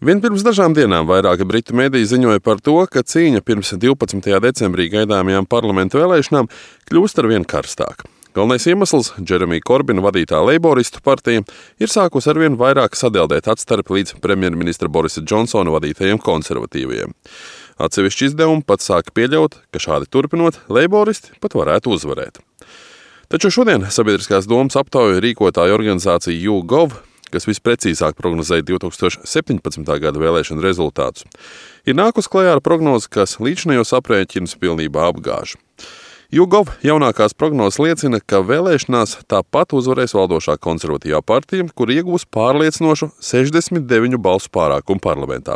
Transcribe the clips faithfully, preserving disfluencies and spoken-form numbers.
Vien pirms dažām dienām vairāki britu mediji ziņoja par to, ka cīņa pirms divpadsmitajā decembrī gaidāmajām parlamentu vēlēšanām kļūst arvien karstāka. Galvenais iemesls - Džeremija Korbina vadītā Leiboristu partija ir sākusi arvien vairāk sadeldēt atstarpi līdz premjerministra Borisa Džonsona vadītajiem konservatīvajiem. Atsevišķi izdevumi pat sāka pieļaut, ka šādi turpinot, Leiboristi pat varētu uzvarēt. Taču šodien sabiedriskās domas aptauju rīkotāja organizācija YouGov, kas visprecīzāk prognozēja divtūkstoš septiņpadsmitā gada vēlēšanu rezultātus, ir nākus klajā ar prognozi, kas līdzinējos aprēķinus pilnībā apgāž. YouGov jaunākās prognozes liecina, ka vēlēšanās tāpat uzvarēs valdošā konservatīvā partija, kur iegūs pārliecinošu sešdesmit deviņu balsu pārākumu parlamentā.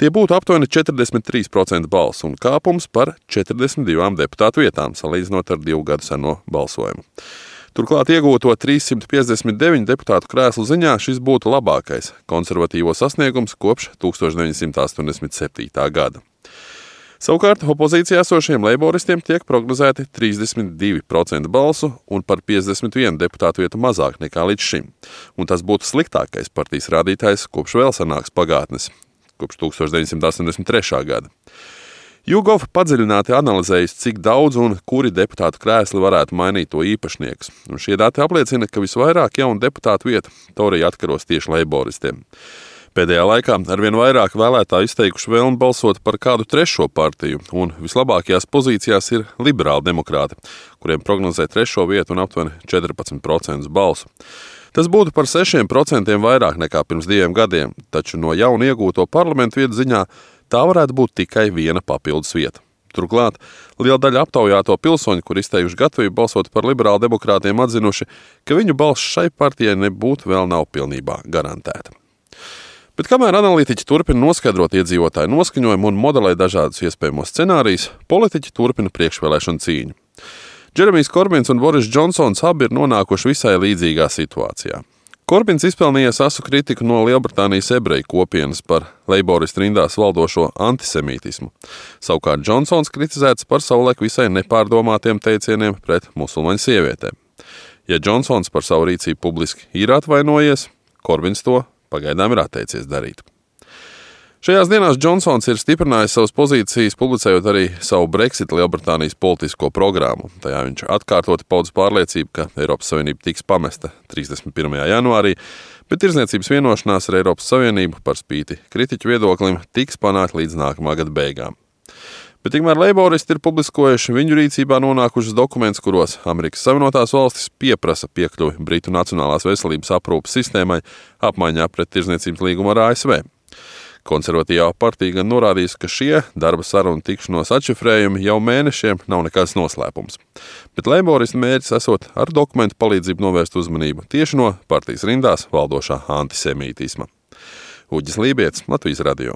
Tie būtu aptuveni četrdesmit trīs procenti balsu un kāpums par četrdesmit divām deputātu vietām, salīdzinot ar divu gadu seno balsojumu. Turklāt iegūto trīssimt piecdesmit deviņu deputātu krēslu ziņā šis būtu labākais konservatīvo sasniegums kopš tūkstoš deviņsimt astoņdesmit septītā gada. Savukārt opozīcijā esošiem leiboristiem tiek prognozēti trīsdesmit divi procenti balsu un par piecdesmit vienu deputātu vietu mazāk nekā līdz šim. Un tas būtu sliktākais partijas rādītājs kopš vēl senākas pagātnes, kopš tūkstoš deviņsimt astoņdesmit trešā gada. YouGov padziļināti analizējis, cik daudz un kuri deputātu krēsli varētu mainīt to īpašnieks. Un šie dati apliecina, ka visvairāk jaunu deputātu vietu Torija atkaros tieši leiboristiem. Pēdējā laikā arvien vairāk vēlētāji izteikuši vēlmi balsot par kādu trešo partiju, un vislabākajās pozīcijās ir liberāli demokrāti, kuriem prognozē trešo vietu un aptuveni četrpadsmit procentus balsu. Tas būtu par sešiem procentiem vairāk nekā pirms diviem gadiem, taču no jaunu iegūto parlamentu vietu ziņā tā varētu būt tikai viena papildus vieta. Turklāt liela daļa aptaujāto pilsoņu, kur izteikuši gatavību balsot par liberāli demokrātiem, atzinuši, ka viņu balss šai partijai nebūtu vēl nav pilnībā garantēta. Bet kamēr analītiķi turpina noskaidrot iedzīvotāju noskaņojumu un modelē dažādus iespējamos scenārijus, politiķi turpina priekšvēlēšanu cīņu. Džeremijs Korbins un Boris Džonsons abi ir nonākuši visai līdzīgā situācijā. Korbins izpelnījies asu kritiku no Lielbritānijas ebreju kopienas par leiboristu rindās valdošo antisemītismu. Savukārt Džonsons kritizēts par savulaik visai nepārdomātiem teicieniem pret musulmaņu sievietēm. Ja Džonsons par savu rīcību publiski ir atvainojies, Korbins to pagaidām ir atteicies darīt. Šajās dienās Džonsons ir stiprinājis savas pozīcijas, publicējot arī savu Brexit Lielbritānijas politisko programmu. Tajā viņš atkārtoti paudz pārliecību, ka Eiropas Savienība tiks pamesta trīsdesmit pirmajā janvārī, bet tirdzniecības vienošanās ar Eiropas Savienību par spīti kritiķu viedoklim tiks panākt līdz nākamā gada beigām. Bet tikmēr leiboristi ir publiskojuši viņu rīcībā nonākušas dokumentus, kuros Amerikas Savienotās valstis pieprasa piekļuvi Britu Nacionālās veselības aprūpes sistēmai apmaiņā pret tirdzniecības līgumu ar A S V. Konservatīvā partija gan norādījis, ka šie darba sarunu tikšanos atšifrējumi jau mēnešiem nav nekāds noslēpums. Bet leiboristu mērķis esot ar dokumentu palīdzību novērst uzmanību tieši no partijas rindās valdošā antisemītisma. Uģis Lībietis, Latvijas radio.